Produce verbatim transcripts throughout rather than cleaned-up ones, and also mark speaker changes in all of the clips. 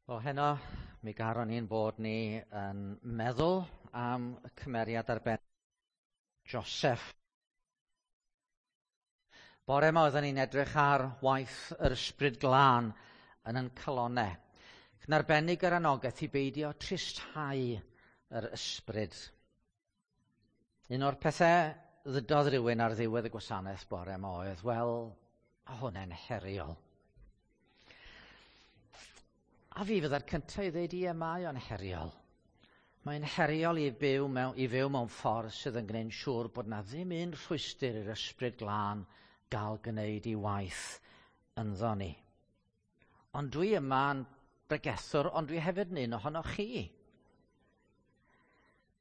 Speaker 1: Wel, heno, mi garon ni'n bod ni yn meddwl am y cymeriad arbennig Joseph. Bore yma oedden ni'n edrych ar waith yr Ysbryd Glân yn yn calonau. Yn arbennig yr anogaeth i beidio tristhau yr ysbryd. Un o'r pethau ddydodd rhywun ar ddiwedd y gwasanaeth bore yma oedd, wel, a hwnna'n heriol. A fi fydda'r cyntaf i ddweud, ie, mae o'n heriol. Mae'n heriol i byw mewn, i fyw mewn ffordd sydd yn gwneud siŵr bod na ddim un rhwystr i'r Ysbryd Glân gael gwneud i waith ynddo ni. Ond dwi yma'n bregethwr, ond dwi hefyd yn un ohonoch chi.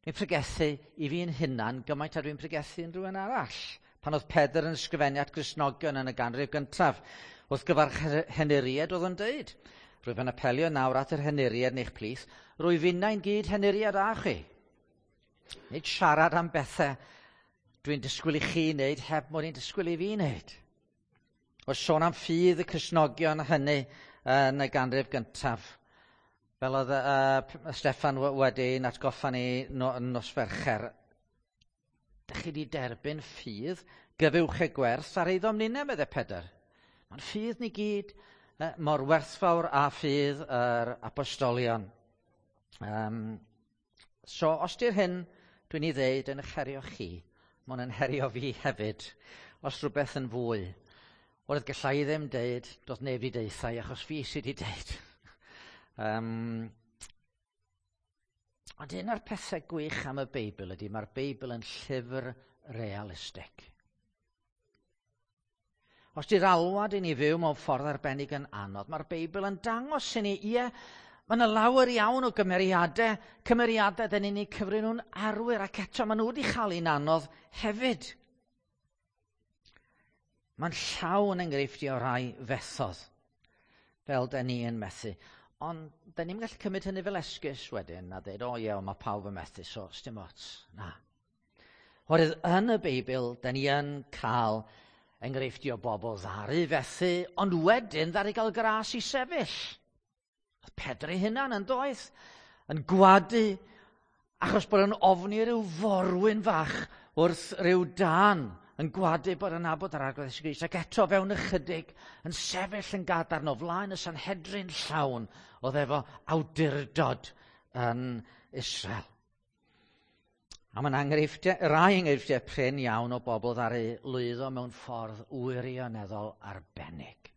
Speaker 1: Dwi'n pregethu i fi'n hunan gymaint a dwi'n pregethu yn rhywun arall. Pan oedd Pedr yn ysgrifennu at Gristnogion yn y ganrif gyntaf, wrth gyfarch henuried oedd yn deud, rwyf yn apelio nawr at yr henuried yn eich plith, rwyf finnau'n gyd henuried â chi. Nid siarad am bethau dwi'n disgwyl i chi wneud heb mod i'n disgwyl i fi wneud. O sôn am ffydd y Cristnogion hynny yn y ganrif gyntaf, fel oedd uh, Steffan wedi'n atgoffa ni no, nos Fercher, dych chi wedi derbyn ffydd gyfuwch y gwerth ar eiddo ninne, meddai Pedr. Mae'n ffydd ni gyd uh, mor werthfawr â ffydd yr apostolion. Um, so, os di'r hyn dwi'n ei ddeud yn eich herio chi, mae'n yn herio fi hefyd, os rhywbeth yn fwy. Oedd gallai i ddim deud, doedd neb wedi deutha i, achos fi sydd wedi deud. Um, ond un o'r pethau gwych am y Beibl ydy, mae'r Beibl yn llyfr realistig. Os di'r alwad i ni fyw mewn ffordd arbennig yn anodd, mae'r Beibl yn dangos i ni, ie, mae yna lawer iawn o gymeriadau, cymeriadau dyn ni'n eu cyfri nhw'n arwyr, ac eto maen nhw wedi chael un anodd hefyd. Mae'n llawn enghreifftiau o rai fethodd, fel dyn ni yn methu. Ond dyn ni'n gallu cymryd hynny fel esgus wedyn a dweud, o ie, mae pawb yn methu, so sdim ots. Na. Oherwydd yn y Beibl, dyn ni yn cael enghreifftiau o bobl ddaru fethu, ond wedyn ddaru gael gras i sefyll. Oedd Pedr ei hunan yn doedd, yn gwadu, achos bod yn ofni rhyw forwyn fach wrth rhyw dân, yn gwadu bod yn nabod yr Arglwydd Iesu Grist, ac eto fewn ychydig yn sefyll yn gadarn o flaen y Sanhedrin llawn oedd efo awdurdod yn Israel. A mae'n enghreifftiau, rai enghreifftiau prin iawn o bobl ddaru lwyddo mewn ffordd wirioneddol arbennig.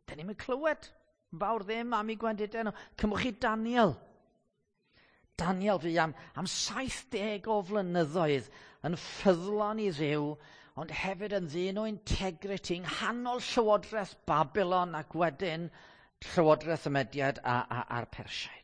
Speaker 1: Dyn ni'm yn clywed fawr ddim am eu gwendidau nhw. Cymwch chi Daniel. Daniel fu am, am saith deg o flynyddoedd yn ffyddlon i Dduw, ond hefyd yn ddyn o integrity yng nghanol llywodraeth Babylon ac wedyn llywodraeth y Mediad a, a, a'r Persiaid.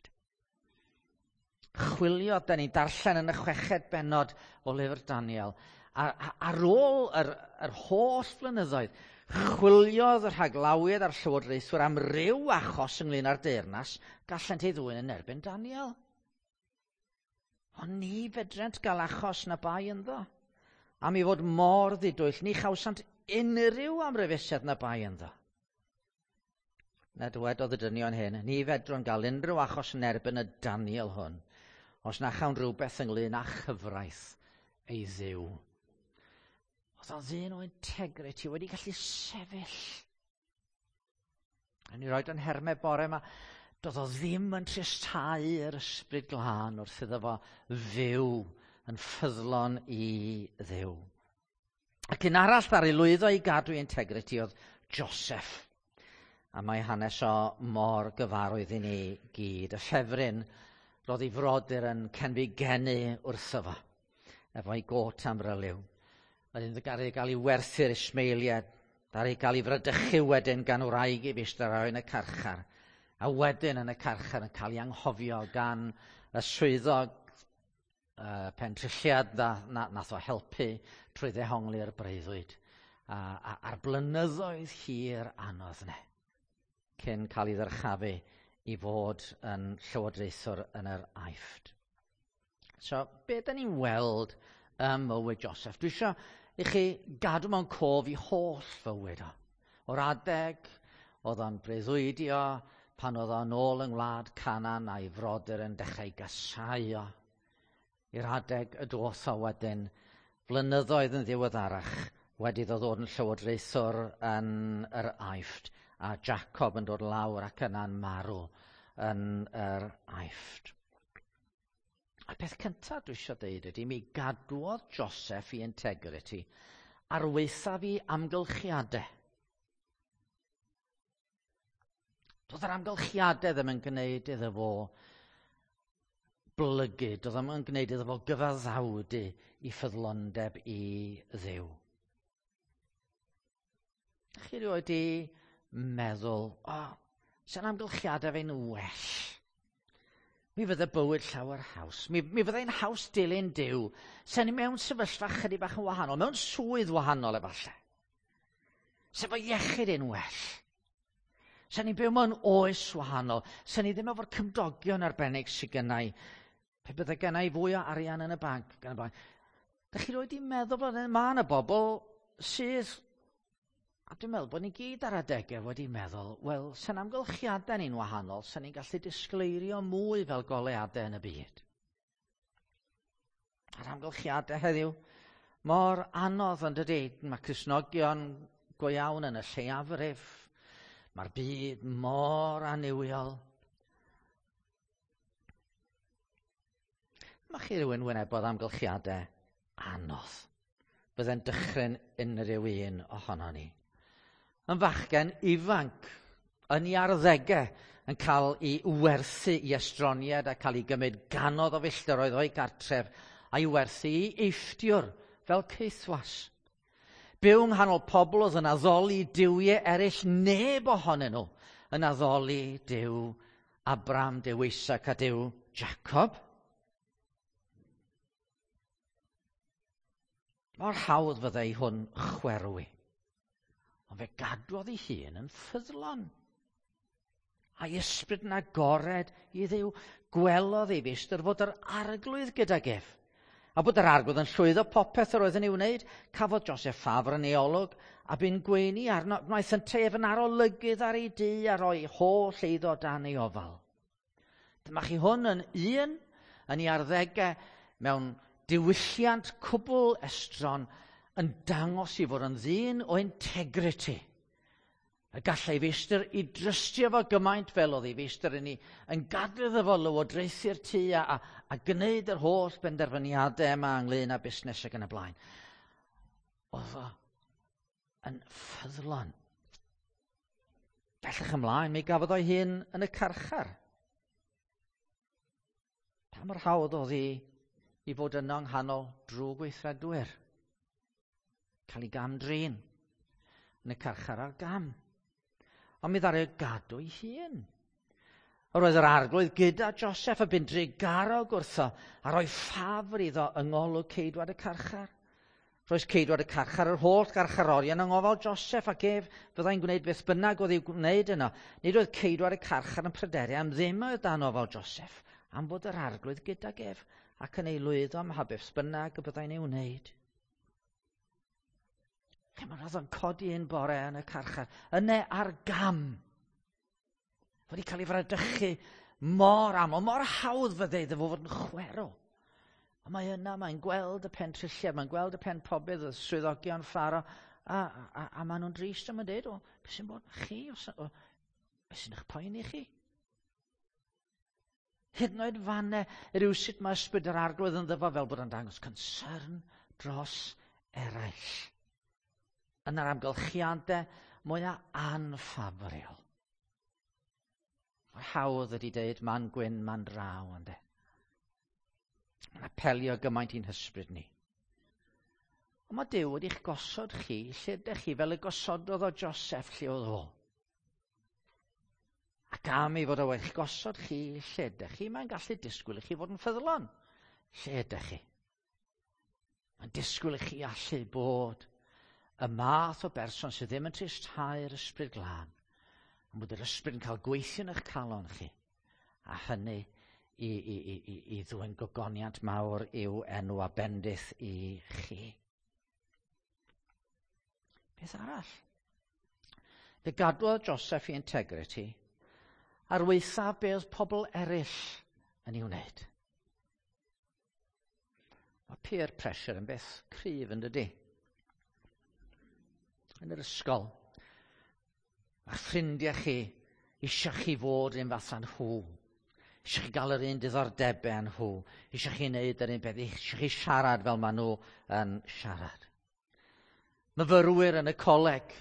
Speaker 1: Chwilio, da ni'n darllen yn y chweched bennod o lyfr Daniel, a, a, ar ôl yr, yr holl flynyddoedd, chwiliodd y rhaglawiad a'r llywodraethwyr am ryw achos ynglyn â'r deyrnas, gallent ei ddwyn yn erbyn Daniel. Ond ni fedrent gael achos na bai ynddo. Am ei fod mor ddidwyll, ni chawsant unrhyw amryfusedd na bai ynddo. Na dywedodd y dynion hyn, ni fedrwn gael unrhyw achos yn erbyn y Daniel hwn, os na chawn rhywbeth ynglyn â chyfraith ei Dduw. Oedd o'n ddyn o integrity wedi gallu sefyll. A ni roed o'n hermau bore yma, doedd o ddim yn tristhau yr Ysbryd Glân wrth iddo fo fyw yn ffyddlon i Dduw. Ac un arall ddaru lwyddo i gadw integrity oedd Joseph. A mae hanes o mor gyfarwydd i ni gyd. Y ffefryn roedd ei frodyr yn cenfigenu wrtho fo, efo'i got amryliw. Wedyn ddaru gael ei werthu'r Ismaeliad, ddaru gael ei fradychu wedyn gan wraig i feistr yn y carchar. A wedyn yn y carchar yn cael ei anghofio gan y swyddog uh, pentrilliad na, na, nath o helpu trwy ddehongli'r breuddwyd. A, a, a'r blynyddoedd hir anodd ne, cyn cael ei ddyrchafu i fod yn llywodraethwr yn yr Aifft. So, be da ni'n weld ym mywyd Joseph? Dwi eisiau i chi gadw mewn cof i holl fywyd o. O'r adeg oedd o'n breuddwydio, pan oedd o'n ôl yng ngwlad Canaan a'i frodyr yn dechrau gasáu o. I'r adeg y doth o wedyn, flynyddoedd yn ddiweddarach, wedi iddo ddod yn llywodraethwr yn yr Aifft, a Jacob yn dod lawr ac yna'n marw yn yr Aifft. A peth cyntaf dwi eisiau dweud ydy, mi gadwodd Joseph i integrity ar waethaf i amgylchiadau. Doedd yr amgylchiadau ddim yn gwneud iddo fo blygu, doedd ddim yn gwneud iddo fo gyfaddawdu i ffyddlondeb i Dduw. Chi rioed di meddwl, o, oh, sy'n amgylchiadau fe'n well. Mi fydde bywyd llawer haws. Mi, mi fyddai'n haws dilyn Duw. Sen ni mewn sefyllfa chydig bach yn wahanol, mewn swydd wahanol efallai. Sef o iechyd yn well. Sen ni'n byw mewn oes wahanol. Sen ni ddim efo'r cymdogion arbennig sydd gennau. Pe bydde gennau fwy o arian yn y banc. Gan y banc. Dych chi rioed di meddwl bod mae yna bobl sydd, a dwi'n meddwl bod ni gyd ar adegau wedi meddwl, wel, sy'n amgylchiadau ni'n wahanol, sy'n ni'n gallu disgleirio mwy fel goleuadau yn y byd. A'r amgylchiadau heddiw, mor anodd yn dydy, mae Cristnogion go iawn yn y lleiafrif, mae'r byd mor annuwiol. Mae chi rhywun wynebodd amgylchiadau anodd. Bydde'n dychryn unrhyw un ohono ni. Yn fachgen ifanc, yn ei arddegau, yn cael ei werthu i estroniad a cael ei gymryd ganodd o filltiroedd o'i gartref a'i werthu i Eifftiwr fel caethwas. Byw yng nghanol pobl oedd yn addoli duwiau eraill, neb ohonyn nhw yn addoli Duw Abraham, Duw Isaac a Duw Jacob. Mor hawdd fyddai hwn chwerwi. Ond fe gadwodd ei hun yn ffyddlon. A'i ysbryd yn agored i Dduw. Gwelodd ei feistr fod yr arglwydd gydag ef. A bod yr arglwydd yn llwyddo popeth yr oedd yn ei wneud, cafodd Joseph ffafr yn ei olwg a bu'n gweini arno. Wnaeth yntau ef yn arolygydd ar ei dŷ a roi holl eiddo dan ei ofal. Dyma chi hwn yn un yn ei arddegau mewn diwylliant cwbl estron yn dangos i fod yn ddyn o integrity. Y gallai feistr i drystio fo gymaint fel oedd ei feistr yn ei yn gadw iddo fo lywodraethu'r tŷ a, a, a gwneud yr holl benderfyniadau yma ynglyn â busnes ac yn y blaen. Oedd o yn ffyddlon. Bellach ymlaen, mi gafodd o'i hun yn y carchar. Pa mor hawdd oedd hi i fod yno yng nghanol drwgweithredwyr? Cael ei gam-drin yn y carchar ar gam. Ond mi ddaru gadw ei hun. Yr oedd yr arglwydd gyda Joseph a bu'n drugarog wrtho a rhoi ffafr iddo yng ngolwg ceidwad y carchar. Roes ceidwad y carchar yr holl garcharorion yng ngofal Joseph ac ef fyddai'n gwneud beth bynnag oedd i'w gwneud yno. Nid oedd ceidwad y carchar yn pryderu am ddim oedd dan ofal Joseph, am fod yr arglwydd gydag ef ac yn ei lwyddo am mha beth bynnag y byddai'n ei wneud. Chimod, oedd o'n codi un bore yn y carchar, yna ar gam. Wedi cael ei fradychu mor aml, mor hawdd fydde iddo fo fod yn chwerw. Ond mae yna, mae'n gweld y pentrilliad, mae'n gweld y pen pobydd, y swyddogion Pharaoh, a, a, a maen nhw'n drist am yn dweud, o, beth sy'n bod chi, o, beth sy'n eich poeni chi? Hyd yn oed fanne, rywsut mae ysbryd yr arglwydd yn ddyfo fel bod yn dangos concern dros eraill. Yn yr amgylchiadau mwyaf anffafriol. Mae'r hawdd ydy deud man gwyn, man draw, ynde. Mae'n apelio gymaint i'n hysbryd ni. Ond mae Duw wedi'ch gosod chi lle ydych chi fel y gosododd o Joseph lle oedd o. Ac am ei fod o wedi'ch gosod chi lle ydych chi, mae'n gallu disgwyl i chi fod yn ffyddlon lle ydych chi. Mae'n disgwyl i chi allu bod y math o berson sydd ddim yn tristhau'r ysbryd glân, ond bod yr ysbryd yn cael gweithio yn eich calon chi, a hynny i, i, i, i, i ddwyn gogoniant mawr i'w enw a bendith i chi. Beth arall? Fe gadwodd Joseph i integrity Ar waethaf be oedd pobl eraill yn ei wneud. Mae peer pressure yn beth cryf yn dydy. Yn yr ysgol, mae ffrindiau chi eisiau chi fod un fath â nhw. Eisiau chi gael yr un diddordebau â nhw. Eisiau chi wneud yr un peth. Eisiau chi siarad fel maen nhw yn siarad. Myfyrwyr yn y coleg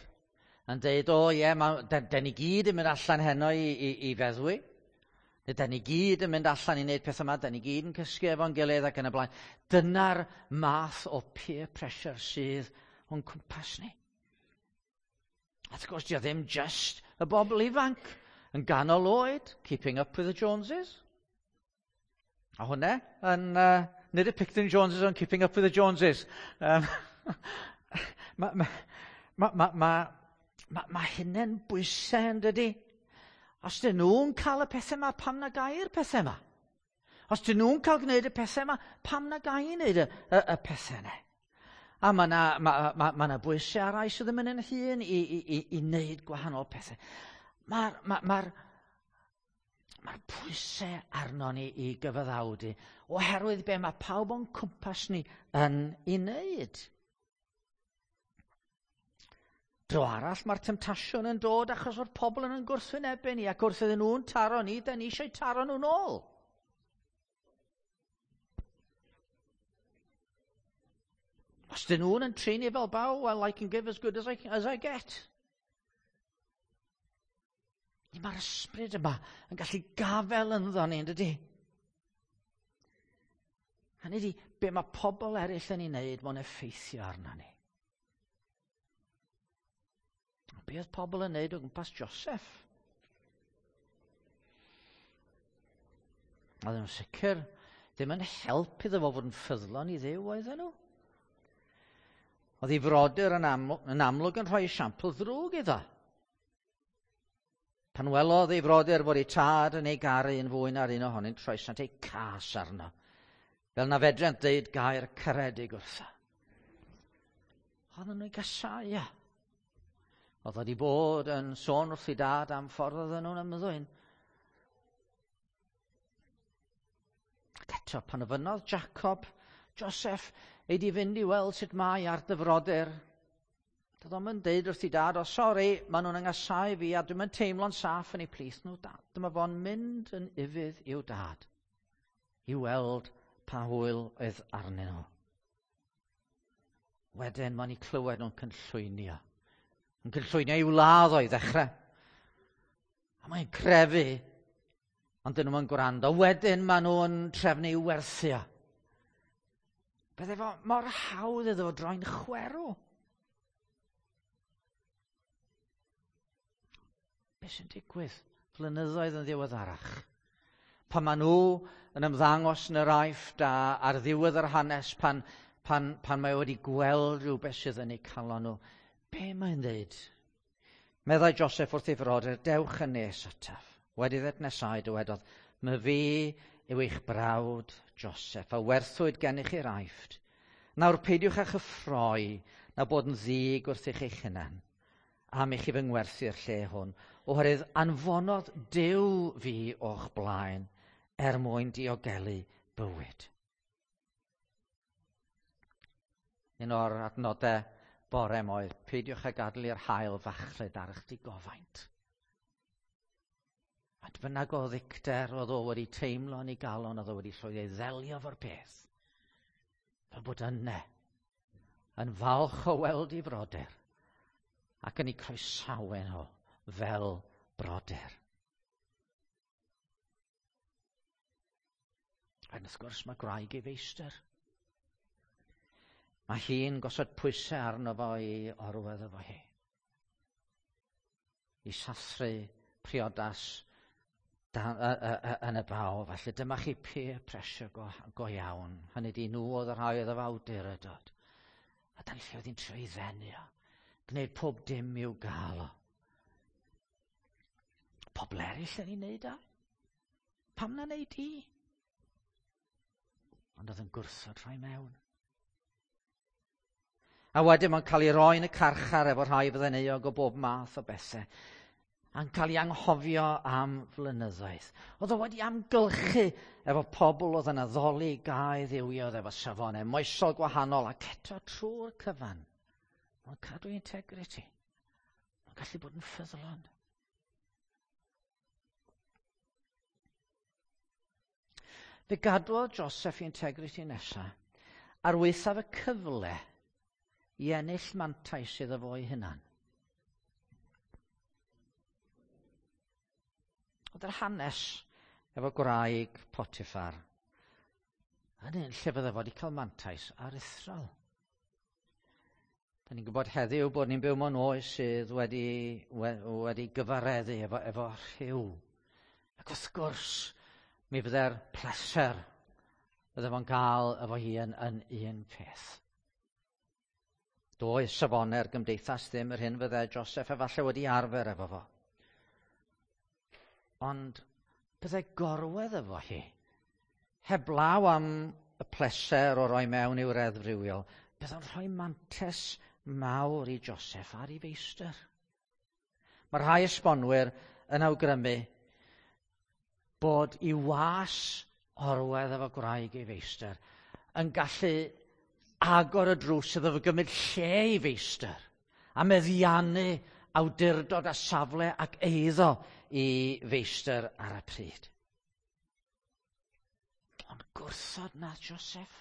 Speaker 1: yn deud, o ie, yeah, da ni gyd yn mynd allan heno i, i, i feddwi. Neu da ni gyd yn mynd allan i wneud pethau yma, da ni gyd yn cysgu efo'n gilydd ac yn y blaen. Dyna'r math o peer pressure sydd o'n cwmpas ni. A wrth gwrs, di o ddim just y bobl ifanc yn ganol oed, keeping up with the Joneses. A hwnna yn, uh, nid y Picton Joneses, ond keeping up with the Joneses. Um, mae ma, ma, ma, ma, ma, ma hynny'n bwysau yn dydy. Os dyn nhw'n cael y pethau yma, pam na gai'r pethau yma? Os dyn nhw'n cael gwneud y pethau yma, pam na gai wneud y, y, y pethau yna? A mae yna ma, ma, ma, ma bwysau ar rai sydd ddim yn yn hun i, i, i, i wneud gwahanol pethau. Mae'r ma, ma, ma pwysau arno ni i gyfaddawdu oherwydd be mae pawb o'n cwmpas ni yn ei wneud. Dro arall mae'r temtasiwn yn dod achos o'r pobl yn gwrthwynebu ni ac wrth iddyn nhw'n taro ni, da ni eisiau taro nhw'n ôl. Os dyn nhw'n yn trin i fel baw, well, I can give as good as I, as I get. Mae'r ysbryd yma yn gallu gafel ynddo ni, yn dydy? Hynny ydi, be mae pobl eraill yn ei wneud, mae'n effeithio arno ni. Be oedd pobl yn wneud o gwmpas Joseph? Oedden nhw'n sicr ddim yn help iddo fo fod yn ffyddlon i Dduw, oedden nhw. Oedd ei frodyr yn, aml yn amlwg yn rhoi esiampl ddrwg iddo. Pan welodd ei frodyr fod ei tad yn ei garu yn fwy na'r un ohonynt, troesant eu cas arno, fel na fedrent ddeud gair caredig wrtho. Oedden nhw'n gasau o. Oedd wedi bod yn sôn wrth ei dad am ffordd oedden nhw'n ymddwyn. Ac eto, pan ofynnodd Jacob, Joseph, ei di fynd i weld sut mae ar dy frodyr. Doedd o'm yn deud wrth ei dad, o sori, maen nhw'n yngasau fi a dwi'm yn teimlo'n saff yn eu plith nhw. Dyma fo'n mynd yn ufudd i'w dad i weld pa hwyl oedd arnyn nhw. Wedyn mae'n eu clywed nhw'n cynllwynio. Yn cynllwynio i'w ladd o i ddechrau. A mae'n crefu, ond dyn nhw'n gwrando. Wedyn maen nhw'n trefnu i'w werthio. Bydde fo mor hawdd iddo fo droi'n chwerw. Be sy'n digwydd flynyddoedd yn ddiweddarach? Pan maen nhw yn ymddangos yn yr Aifft a ar ddiwedd yr hanes, pan, pan, pan mae wedi gweld rhywbeth sydd yn eu calon nhw, be mae'n dweud? Meddai Joseph wrth ei frodyr, dewch yn nes ataf. Wedi iddynt nesau dywedodd, my fi yw eich brawd Joseph, a werthwyd gennych i'r Aifft. Nawr peidiwch â chyffroi na bod yn ddig wrth eich eich hunan, am i chi fy ngwerthu'r lle hwn, oherwydd anfonodd Duw fi o'ch blaen er mwyn diogelu bywyd. Un o'r adnodau bore oedd, peidiwch â gadael i'r haul fachlud ar eich digofaint. Faint bynnag o ddicter oedd o wedi teimlo yn ei galon, oedd o wedi llwyddo i ddelio efo'r peth. Fel bod yna, yn falch o weld ei frodyr, ac yn eu croesawu nhw fel brodyr. Ac wrth gwrs mae gwraig ei feistr. Mae hi'n gosod pwysau arno fo i orwedd efo hi. I sathru priodas dan, y, y, y, yn y baw. Felly dyma chi peer pressure go, go iawn. Hynny di nhw oedd y rhai oedd efo awdurdod. A dan lle oedd hi'n trio i ddenu o. Gwneud pob dim i'w gael o. Pobl eraill yn ei wneud o. Pam na wneud i? Ond oedd yn gwrthod rhoi mewn. A wedyn mae'n cael ei roi yn y carchar efo rhai fydde'n euog o bob math o bethau. A'n cael ei anghofio am flynyddoedd. Oedd o wedi amgylchu efo pobl oedd yn addoli gau dduwioedd efo safonau moesol gwahanol ac eto trwy'r cyfan. Mae'n cadw integrity. Mae'n gallu bod yn ffyddlon. Fe gadwodd Joseph integrity nesaf ar waethaf y cyfle i ennill mantais iddo fo'i hunan. Oedd yr hanes efo gwraig Potiphar yn un lle fydde fo wedi cael mantais aruthrol. Da ni'n gwybod heddiw bod ni'n byw mewn oes sydd wedi, wedi gyfareddu efo, efo rhyw. Ac wrth gwrs, mi fydde'r pleser fydde fo'n cael efo hi yn, yn un peth. Doedd safonau'r gymdeithas ddim yr hyn fydde Joseph efallai wedi arfer efo fo. Ond bydde gorwedd efo hi, heblaw am y pleser o roi mewn i'w reddf rywiol, bydde'n rhoi mantes mawr i Joseph ar ei feistr. Mae rhai esbonwyr yn awgrymu bod i was orwedd efo gwraig ei feistr yn gallu agor y drws iddo fo gymryd lle i feistr a meddiannu awdurdod a safle ac eiddo i feistr ar y pryd. Ond gwrthod nath Joseph.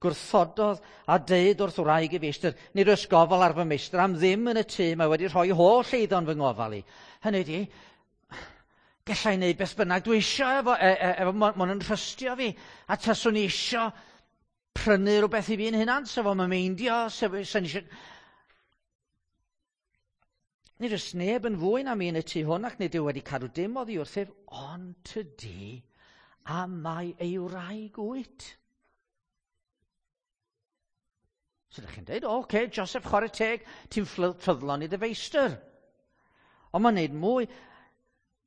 Speaker 1: Gwrthododd a deud wrth wraig i feistr, nid oes gofal ar fy meistr am ddim yn y tŷ, mae wedi rhoi holl eiddo'n fy ngofal i. Hynny ydi, gallai wneud beth bynnag dwi isio efo, e, e, efo ma' nhw'n trystio fi, a taswn i isio prynu rhywbeth i fi'n hunan, sef o'n meindio, sef o'n isio... Nid oes neb yn fwy na mi yn y tŷ hwn ac nid yw wedi cadw dim oddi wrthyf, ond tydi, a mae ei wraig wyt. So ydych chi'n dweud, oce, okay, Joseph, chwarae teg, ti'n ffyddlon i dy feistr. Ond mae'n neud mwy.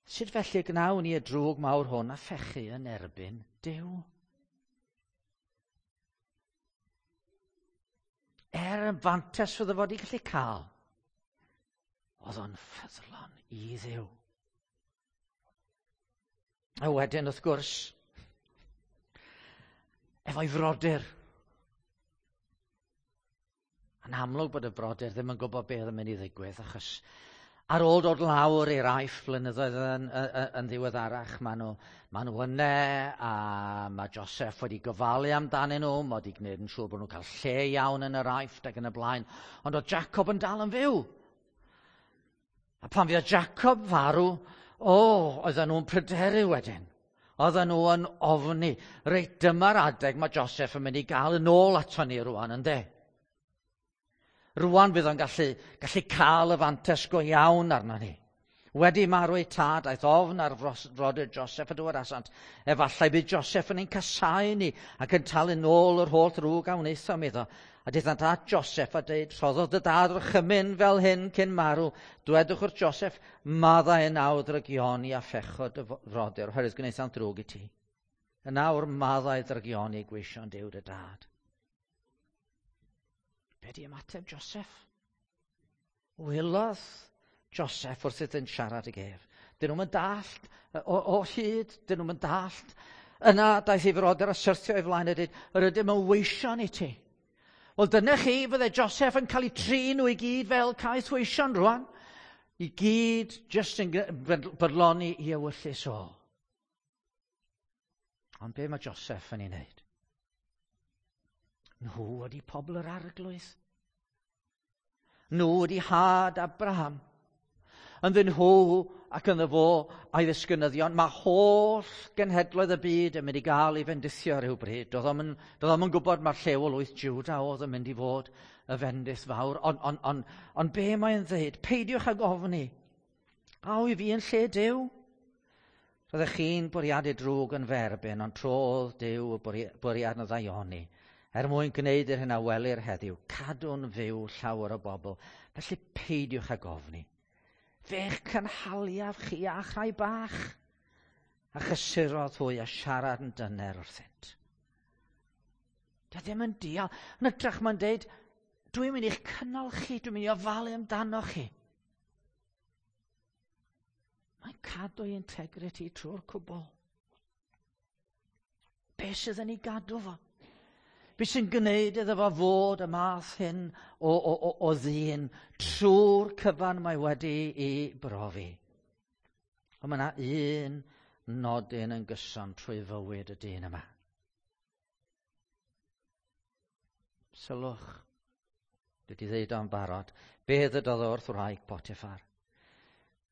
Speaker 1: Sut felly gnawn ni y drwg mawr hwn a phechu yn erbyn Duw? Er yn fantes fydde fod i gallu cael, oedd o'n ffyddlon i Dduw. A wedyn, wrth gwrs, efo'i frodyr. Yn amlwg bod y brodyr ddim yn gwybod beth yn mynd i ddigwydd, achos ar ôl dod lawr i'r Aifft blynyddoedd yn, yn, yn ddiweddarach, maen nhw, maen nhw yna, a mae Joseph wedi gofalu amdanyn nhw, mae wedi gwneud yn siŵr bod nhw'n cael lle iawn yn yr Aifft ac yn y blaen. Ond oedd Jacob yn dal yn fyw. A pan fuodd Jacob farw, o, oh, oedden nhw'n pryderu wedyn. Oedden nhw yn ofni. Reit, dyma'r adeg mae Joseph yn mynd i gael yn ôl ato ni rwan, ynde? Rwan fydd o'n gallu, gallu cael y fantes go iawn arno ni. Wedi marw ei tad, aeth ofn ar frodyr Joseph a dywedasant. Efallai bydd Joseph yn ein casáu ni ac yn talu nôl yr holl ddrwg a wnaethom iddo. A daethant at Joseph a dweud, rhoddodd dy dad orchymyn fel hyn cyn marw. Dwedwch wrth Joseph, maddau yn awr ddrygioni a phechod y frodyr, oherwydd gwnaethant ddrwg i ti. Yn awr maddau ddrygioni gweision Duw dy dad. Be di ymateb Joseph? Wylodd Joseph wrth iddynt siarad ag ef. Dyn nhw'n dallt o, o hyd, dyn nhw'n dallt. Yna daeth ei frodyr a syrthio ei flaen a dweud, yr ydym yn weision i ti. Wel, dyna chi, fydde Joseph yn cael ei trin nhw i gyd fel caeth weision rwan. I gyd jyst yn bodloni i ewyllys o. Ond be mae Joseph yn ei wneud? Nhw wedi pobl yr arglwydd. Nhw wedi had Abraham. Ynddyn nhw ac ynddo fo a'i ddisgynyddion, mae holl genhedloedd y byd yn mynd i gael ei fendithio rhywbryd. Doedd o'm yn, doedd o'm yn gwybod mae'r llew o lwyth Juda oedd yn mynd i fod y fendith fawr. Ond on, on, on be mae'n dweud? Peidiwch ag ofni. A wy fi yn lle Duw? Roeddech chi'n bwriadu drwg yn ferbyn, ond trodd Duw y bwriad na ddaioni. Er mwyn gwneud yr hyn a welir heddiw, cadw'n fyw llawer o bobl. Felly peidiwch ag ofni. Fe'ch cynhaliaf chi a rhai bach. A chysurodd hwy a siarad yn dyner wrthynt. Dio ddim yn dial. Yn hytrach mae'n deud, dwi'n mynd i'ch cynnal chi, dwi'n mynd i ofalu amdano chi. Mae'n cadw ei integrity trwy'r cwbl. Be sydd yn ei gadw fo? Be sy'n gwneud iddo fo fod y math hyn o, o, o, o ddyn trwy'r cyfan mae wedi ei brofi? Ond mae yna un nodyn yn gyson trwy fywyd y dyn yma. Sylwch, dwi wedi ddeud o'n barod, be ddydodd wrth wraig Potiphar?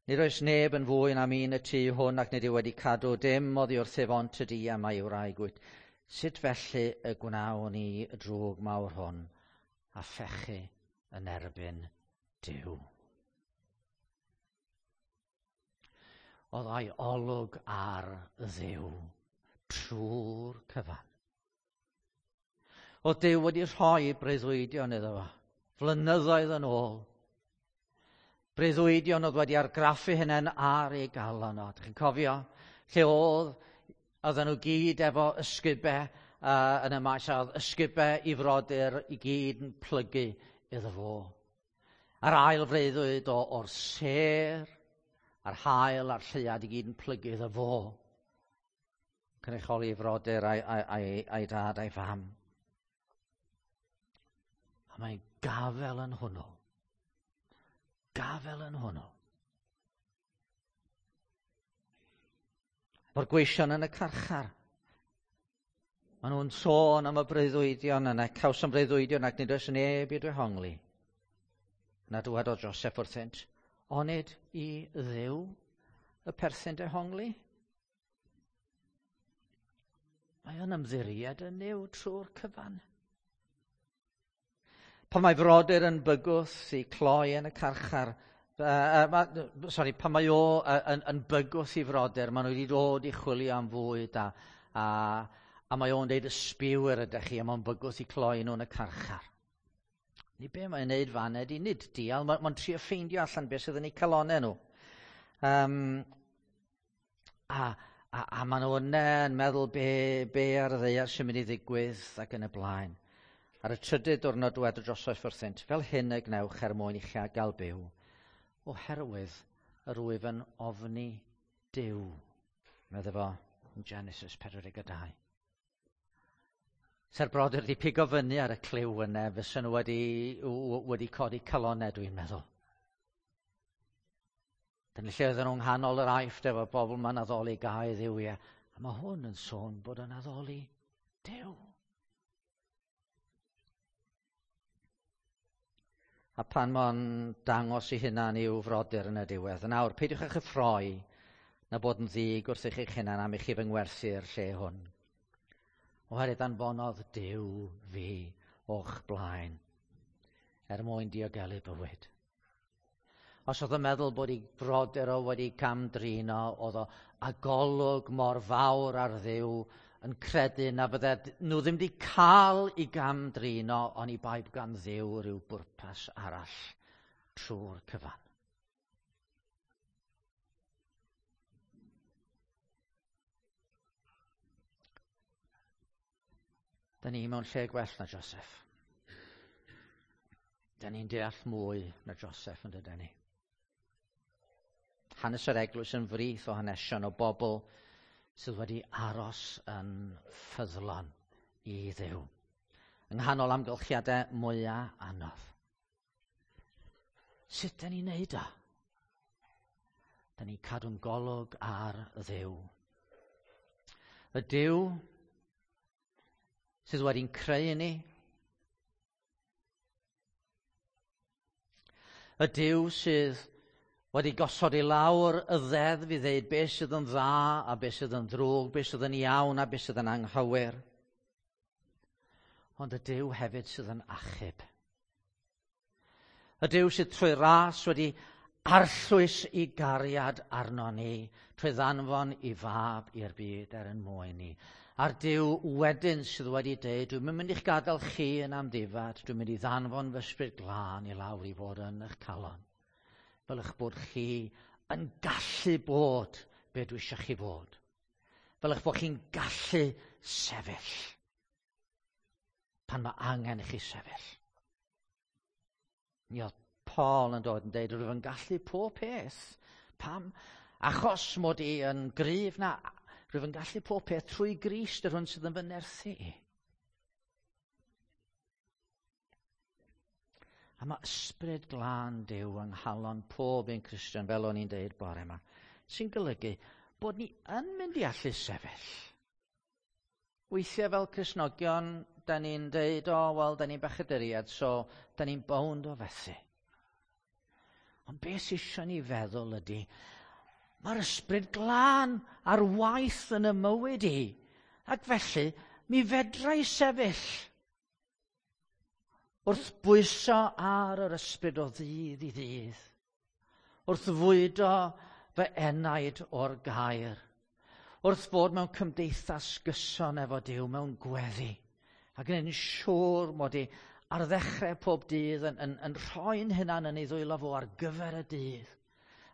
Speaker 1: Nid oes neb yn fwy na mi'n y tŷ hwn ac nid yw wedi cadw dim oddi wrthyf ond tydi a mae wraig wyt. Sut felly y gwnawn ni y drwg mawr hwn a phechu yn erbyn Duw? Oedd o'i olwg ar Dduw trwy'r cyfan. Oedd Duw wedi rhoi breuddwydion iddo fo, flynyddoedd yn ôl. Breuddwydion oedd wedi argraffu hynny'n ar ei galon o. Chi'n cofio? Lle oedd, oedden nhw gyd efo ysgubau uh, yn y maes, a oedd ysgubau i frodyr i gyd yn plygu iddo fo. A'r ail freuddwyd o, o'r sêr, a'r haul a'r lleuad i gyd yn plygu iddo fo. Cynrychioli frodyr a'i, a'i, a'i, a'i dad a'i fam. A mae'n gafel yn hwnnw. Gafel yn hwnnw. Mae'r gweision yn y carchar. Maen nhw'n sôn am y breuddwydion yna, cawsom breuddwydion ac nid oes neb i dehongli. Na dywedodd Joseph wrthynt, onid i Dduw y perthyn dehongli? Mae o'n ymddiried yn Nuw trwy'r cyfan. Pan mae frodyr yn bygwth i cloi yn y carchar, uh, ma, sorry, pan mae o uh, yn, yn bygwth i frodyr, maen nhw wedi dod i chwilio am fwyd a, a, a mae o'n deud ysbiwyr ydych chi, a mae'n bygwth i cloi nhw yn y carchar. Ni be mae'n neud fan ydi, nid dial, mae'n ma trio ffeindio allan beth sydd yn eu calonau nhw. Um, a, a, a maen nhw yna yn meddwl be, be ar y ddaear sy'n mynd i ddigwydd ac yn y blaen. Ar y trydydd diwrnod dywedodd Joseph wrthynt, fel hyn y gwnewch er mwyn i chi gael byw, oherwydd yr wyf yn ofni Duw. Medde fo yn Genesis pedwar deg dau. Se'r brodyr wedi pigo fyny ar y cliw yna, fysa nhw wedi, wedi codi calonau, dwi'n meddwl. Dyna lle oedden nhw'n nghanol yr Aifft efo bobl ma'n addoli gau dduwiau. A mae hwn yn sôn bod yn addoli Duw. A pan mae'n dangos i hunan i'w frodyr yn y diwedd. Yn awr, peidiwch â chyffroi na bod yn ddig wrth eich hunan am i chi fy ngwerthu'r lle hwn. Oherwydd anfonodd Duw fi o'ch blaen er mwyn diogelu bywyd. Os oedd yn meddwl bod ei frodyr o wedi camdrin o, oedd o a golwg mor fawr ar Dduw yn credu na fydde nhw ddim wedi cael i gamdrin o, ond i bai gan Dduw rhyw bwrpas arall trwy'r cyfan. Da ni mewn lle gwell na Joseph. Da ni'n deall mwy na Joseph yn dydyn ni. Hanes yr eglwys yn frith o hanesion o bobl sydd wedi aros yn ffyddlon i Dduw. Yng nghanol amgylchiadau mwyaf anodd. Sut da ni'n neud o? Da ni'n cadw'n golwg ar Dduw. Y Duw sydd wedi'n creu ni. Y Duw sydd wedi gosod i lawr y ddeddf i ddeud beth sydd yn dda a beth sydd yn ddrwg, beth sydd yn iawn a beth sydd yn anghywir. Ond y Duw hefyd sydd yn achub. Y Duw sydd trwy ras wedi arllwys i gariad arno ni, trwy ddanfon i fab i'r byd er yn mwyn ni. A'r Duw wedyn sydd wedi deud, dwi'n mynd i'ch gadael chi yn amddifad, dwi'n mynd i ddanfon fy ysbryd glân i lawr i fod yn eich calon. Fel eich bod chi yn gallu bod be dwi eisiau chi fod. Fel eich bod chi'n gallu sefyll pan mae angen i chi sefyll. Mi oedd Paul yn dod yn deud, rwyf yn gallu pob peth. Pam? Achos mod i yn gryf, na, rwyf yn gallu pob peth trwy Grist yr hwn sydd yn fy nerthu i. A mae ysbryd glân Duw yng nghalon pob un Cristion, fel o'n i'n deud bore yma, sy'n golygu bod ni yn mynd i allu sefyll. Weithiau fel Cristnogion, da ni'n deud, o, oh, wel, da ni'n bechaduriad, so da ni'n bownd o fethu. Ond beth sy'n eisiau ni feddwl ydy, mae'r ysbryd glân ar waith yn y mywyd i, ac felly mi fedra i sefyll wrth bwyso ar yr ysbryd o ddydd i ddydd, wrth fwydo fy enaid o'r gair, wrth fod mewn cymdeithas gyson efo Duw mewn gweddi, ac yn siŵr mod i ar ddechrau pob dydd yn, yn, yn rhoi'n hunan yn ei ddwylo fo ar gyfer y dydd.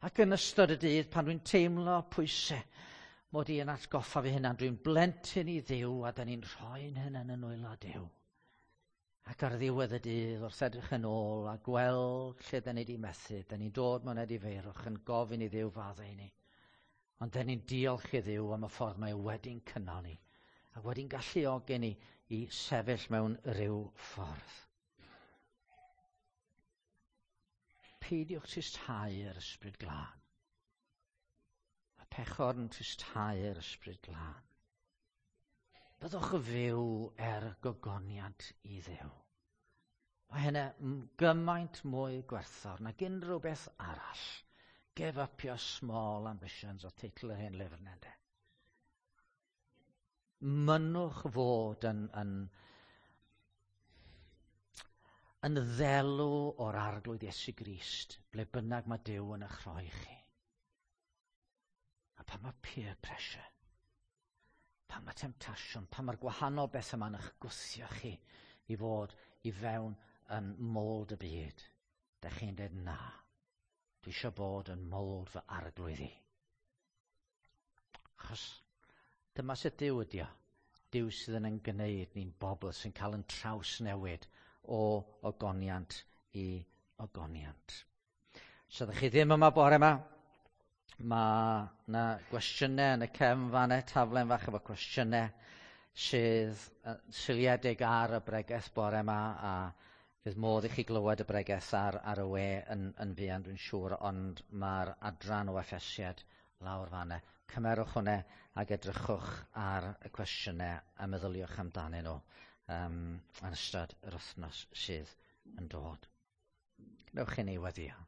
Speaker 1: Ac yn ystod y dydd, pan dwi'n teimlo pwysau, mod i yn atgoffa fi hunan, dwi'n blentyn i Dduw a da ni'n rhoi'n hunan yn nwylo Duw. Ac ar ddiwedd y dydd, wrth edrych yn ôl a gweld lle da ni wedi methu, da ni'n dod mewn edifeirwch yn gofyn i Dduw faddau i ni. Ond da ni'n diolch i Dduw am y ffordd mae wedi'n cynnal ni ac wedi'n galluogi ni i sefyll mewn rhyw ffordd. Peidiwch tristhau yr ysbryd glân. Mae pechod yn tristhau yr ysbryd glân. Byddwch fyw er gogoniant i Dduw. Mae hynny gymaint mwy gwerthfawr nag unrhyw beth arall. Give up your small ambitions o teitl yr hen lyfr yna, ynde. Mynnwch fod yn, yn, yn ddelw o'r Arglwydd Iesu Grist, ble bynnag mae Duw yn eich rhoi chi. A pan mae peer pressure, pan mae temptasiwn, pan mae'r gwahanol beth yma'n eich gwthio chi i fod i fewn yn mold y byd, da chi'n dweud na, dwi eisiau bod yn mold fy arglwydd i. Achos dyma sut Duw ydi o. Duw sydd yn ein gwneud ni'n bobl sy'n cael yn trawsnewid o ogoniant i ogoniant. So ydych chi ddim yma bore yma, mae yna gwestiynau yn y cefn fan'na, taflen fach efo cwestiynau sydd seiliedig ar y bregeth bore yma, a fydd modd i chi glywed y bregeth ar, ar y we yn, yn fuan, dwi'n siŵr, ond mae'r adran o Effesiad lawr fan'na. Cymerwch hwnna ac edrychwch ar y cwestiynau a meddyliwch amdanyn nhw um, yn ystod yr wythnos sydd yn dod. Gwnewch i ni weddïo.